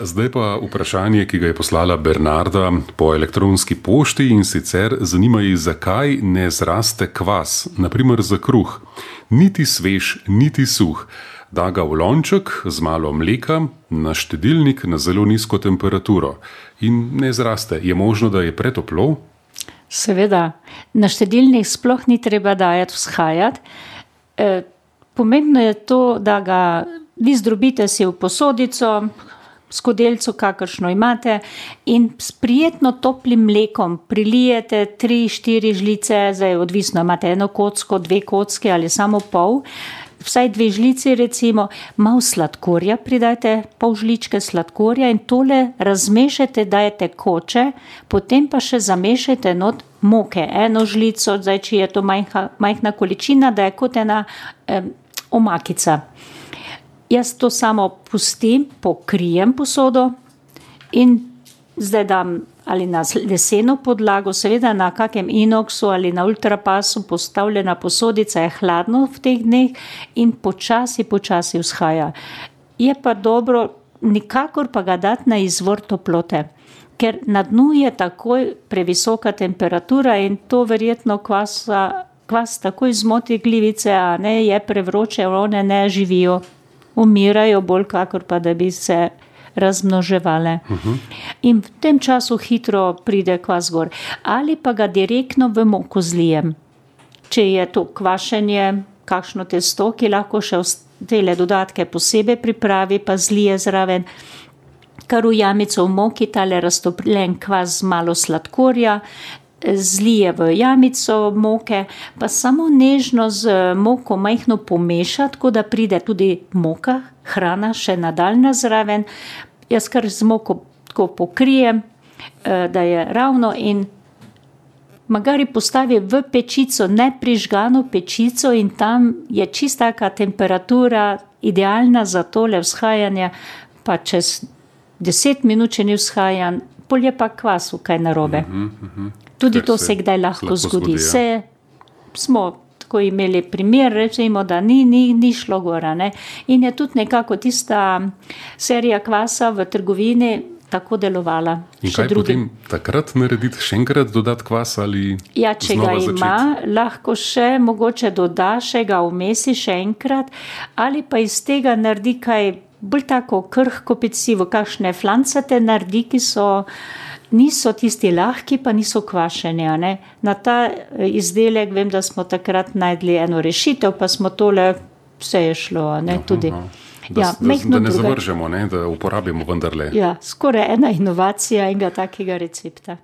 Zdaj pa vprašanje, ki ga je poslala Bernarda po elektronski pošti, in sicer zanima jih, zakaj ne zraste kvas, naprimer za kruh. Niti svež, niti suh. Da ga v lonček z malo mleka na štedilnik na zelo nizko temperaturo. In ne zraste. Je možno, da je pretoplo? Seveda. Na štedilnik sploh ni treba dajati vzhajati. Pomembno je to, da ga vi zdrobite si v posodico, skodelico, kakršno imate, in s prijetno toplim mlekom prilijete 3-4 žlice, zdaj odvisno, imate eno kocko, 2 kocke ali samo pol, vsaj 2 žlici recimo, malo sladkorja pridajte, pol žličke sladkorja in tole razmešajte, dajete koče, potem pa še zamešajte not moke, 1 žlico, zdaj če je to majhna količina, da je kot ena omakica. Jaz to samo pustim, pokrijem posodo in zdaj dam ali na leseno podlago, seveda na kakem inoksu ali na ultrapasu postavljena posodica je hladno v teh dneh in počasi vzhaja. Je pa dobro, nikakor pa ga dati na izvor toplote, ker na dnu je takoj previsoka temperatura in to verjetno kvas takoj zmoti glivice, a ne je prevroče, one ne živijo. Umirajo bolj, kakor pa da bi se razmnoževale. In v tem času hitro pride kvas gor. Ali pa ga direktno v moko zlijem. Če je to kvašenje, kakšno testo, ki lahko še tele dodatke posebej pripravi, pa zlije zraven, kar v jamico v moki, tale raztopljen kvas z malo sladkorja, zlije v jamico moke, pa samo nežno z moko majhno pomeša, tako da pride tudi moka, hrana še nadaljna zraven. Jaz kar z moko tako pokrijem, da je ravno in magari postavi v pečico, ne prižgano pečico in tam je čista taka temperatura idealna za tole vzhajanje, pa čez 10 minut, če ni vzhajan, pol je pa kvasu kaj narobe. Tudi to se kdaj lahko zgodi. Smo tako imeli primer, rečemo, da ni šlo gora. Ne? In je tudi nekako tista serija kvasa v trgovini tako delovala. In kaj potem takrat narediti? Še enkrat dodati kvas ali ja, če ga ima, lahko še mogoče doda, še ga vmesi še enkrat, ali pa iz tega naredi kaj bolj tako krhko pecivo, kakšne flancate naredi, ki niso tisti lahki, pa niso kvašeni. Ne? Na ta izdelek vem, da smo takrat najdli eno rešitev, pa smo tole, vse je šlo. Ne? Tudi. Da ne zavržemo, ne? Da uporabimo vendarle. Ja, skoraj ena inovacija enega takega recepta.